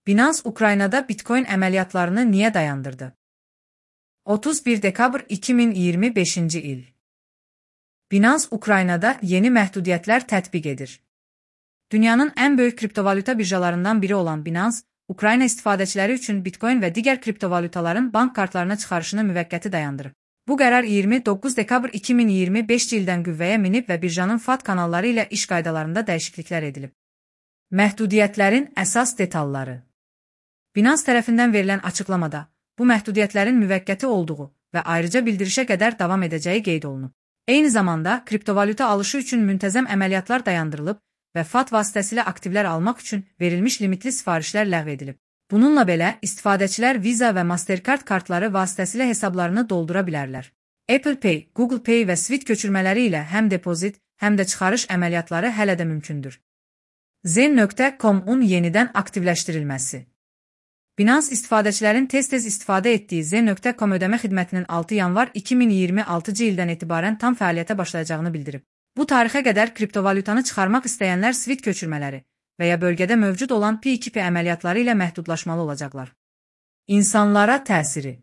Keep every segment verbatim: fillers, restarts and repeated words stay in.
Binance Ukraynada Bitcoin əməliyyatlarını niyə dayandırdı? otuz bir dekabr iki min iyirmi beşinci il. Binance Ukraynada yeni məhdudiyyətlər tətbiq edir. Dünyanın ən böyük kriptovalyuta birjalarından biri olan Binance, Ukrayna istifadəçiləri üçün Bitcoin və digər kriptovalyutaların bank kartlarına çıxarışını müvəqqəti dayandırıb. Bu qərar iyirmi doqquz dekabr iki min iyirmi beşinci ildən qüvvəyə minib və birjanın F A T kanalları ilə iş qaydalarında dəyişikliklər edilib. Məhdudiyyətlərin əsas detalları. Binance tərəfindən verilən açıqlamada, bu məhdudiyyətlərin müvəqqəti olduğu və ayrıca bildirişə qədər davam edəcəyi qeyd olunub. Eyni zamanda, kriptovalyuta alışı üçün müntəzəm əməliyyatlar dayandırılıb və F A T vasitəsilə aktivlər almaq üçün verilmiş limitli sifarişlər ləğv edilib. Bununla belə, istifadəçilər Visa və Mastercard kartları vasitəsilə hesablarını doldura bilərlər. Apple Pay, Google Pay və Swift köçürmələri ilə həm depozit, həm də çıxarış əməliyyatları hələ də mümkündür. Zen nöqtə com-un yenidən aktivləşdirilməsi. Binance istifadəçilərin tez-tez istifadə etdiyi Zen nöqtə com ödəmə xidmətinin altı yanvar iki min iyirmi altıncı ildən etibarən tam fəaliyyətə başlayacağını bildirib. Bu tarixə qədər kriptovalyutanı çıxarmaq istəyənlər Swift köçürmələri və ya bölgədə mövcud olan P iki P əməliyyatları ilə məhdudlaşmalı olacaqlar. İnsanlara təsiri.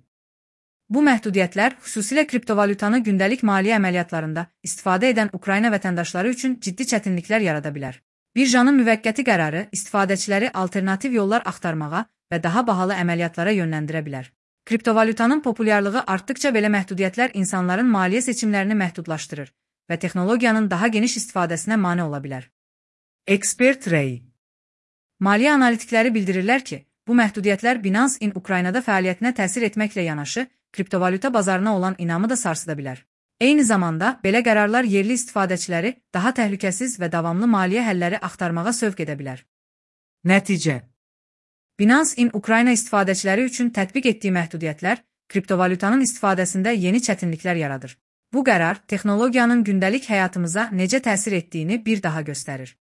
Bu məhdudiyyətlər xüsusilə kriptovalyutanı gündəlik maliyyə əməliyyatlarında istifadə edən Ukrayna vətəndaşları üçün ciddi çətinliklər yarada bilər. Birjanın müvəqqəti qərarı istifadəçiləri alternativ yollar axtarmağa və daha bahalı əməliyyatlara yönləndirə bilər. Kriptovalyutanın populyarlığı artdıqca belə məhdudiyyətlər insanların maliyyə seçimlərini məhdudlaşdırır və texnologiyanın daha geniş istifadəsinə mane ola bilər. Expert Ray. Maliyyə analitikləri bildirirlər ki, bu məhdudiyyətlər Binance in Ukraynada fəaliyyətinə təsir etməklə yanaşı, kriptovalyuta bazarına olan inamı da sarsıda bilər. Eyni zamanda, belə qərarlar yerli istifadəçiləri daha təhlükəsiz və davamlı maliyyə həlləri axtarmağa sövq edə bilər. Nəticə. Binance in Ukrayna istifadəçiləri üçün tətbiq etdiyi məhdudiyyətlər kriptovalyutanın istifadəsində yeni çətinliklər yaradır. Bu qərar texnologiyanın gündəlik həyatımıza necə təsir etdiyini bir daha göstərir.